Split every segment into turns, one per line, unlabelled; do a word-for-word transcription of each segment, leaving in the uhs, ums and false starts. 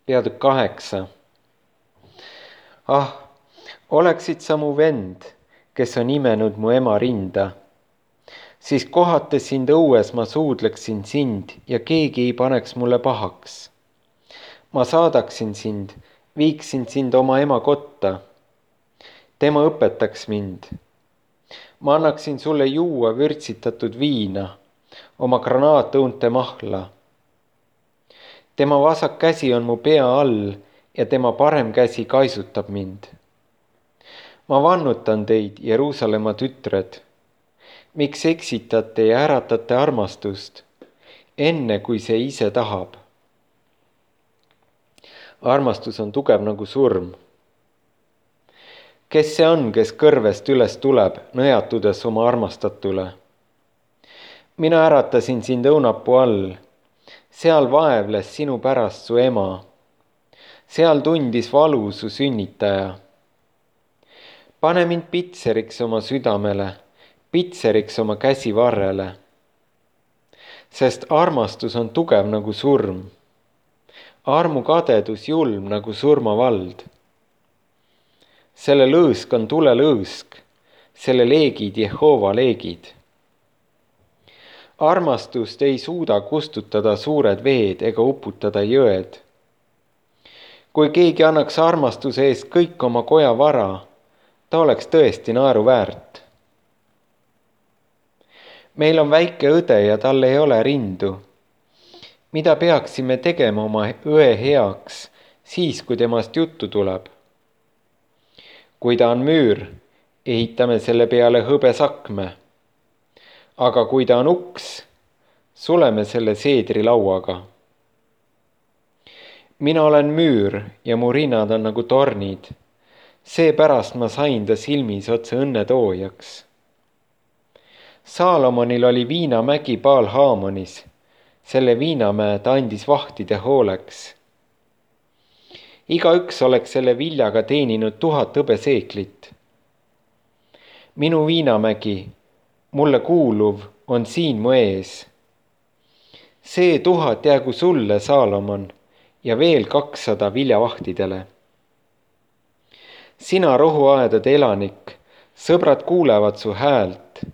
Peatükk kaheksa. Ah, oleksid sa mu vend, kes on imenud mu ema rinda, siis kohates sind õues ma suudleksin sind ja keegi ei paneks mulle pahaks. Ma saadaksin sind, viiksin sind oma ema kotta. Tema õpetaks mind. Ma annaksin sulle juua vürtsitatud viina, oma granaatõunte mahla. Tema vasak käsi on mu pea all ja tema parem käsi kaisutab mind. Ma vannutan teid, Jeruusalemma tütred, miks eksitate ja äratate armastust, enne kui see ise tahab. Armastus on tugev nagu surm. Kes see on, kes kõrvest üles tuleb, nõjatudes oma armastatule? Mina äratasin sind õunapuu all, seal vaevles sinu pärast su ema, seal tundis valu su sünnitaja. Pane mind pitseriks oma südamele, pitseriks oma käsivarrele, sest armastus on tugev nagu surm, armukadedus julm nagu surmavald. Selle lõõsk on tulelõõsk, selle leegid Jehova leegid. Armastust ei suuda kustutada suured veed ega uputada jõed. Kui keegi annaks armastuse eest kõik oma koja vara, ta oleks tõesti naeruväärt. Meil on väike õde ja tal ei ole rindu. Mida peaksime tegema oma õe heaks, siis kui temast juttu tuleb? Kui ta on müür, ehitame selle peale hõbesakme. Aga kui ta on uks, suleme selle seedrilauaga. Mina olen müür ja mu rinnad on nagu tornid. Seepärast ma sain ta silmis otse õnnetoojaks. Saalomonil oli viinamägi Baal-Haamonis. Selle viinamäe ta andis vahtide hooleks. Igaüks oleks selle viljaga teeninud tuhat hõbeseeklit. Minu viinamägi, mulle kuuluv, on siin mu ees. See tuhat jäägu sulle, Saalomon, ja veel kakssada viljavahtidele. Sina rohuaedade elanik, sõbrad kuulevad su häält.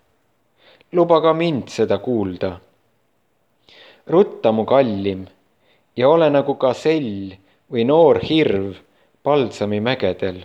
Luba ka mind seda kuulda. Rutta mu kallim ja ole nagu gasell või noor hirv Palsami mägedel.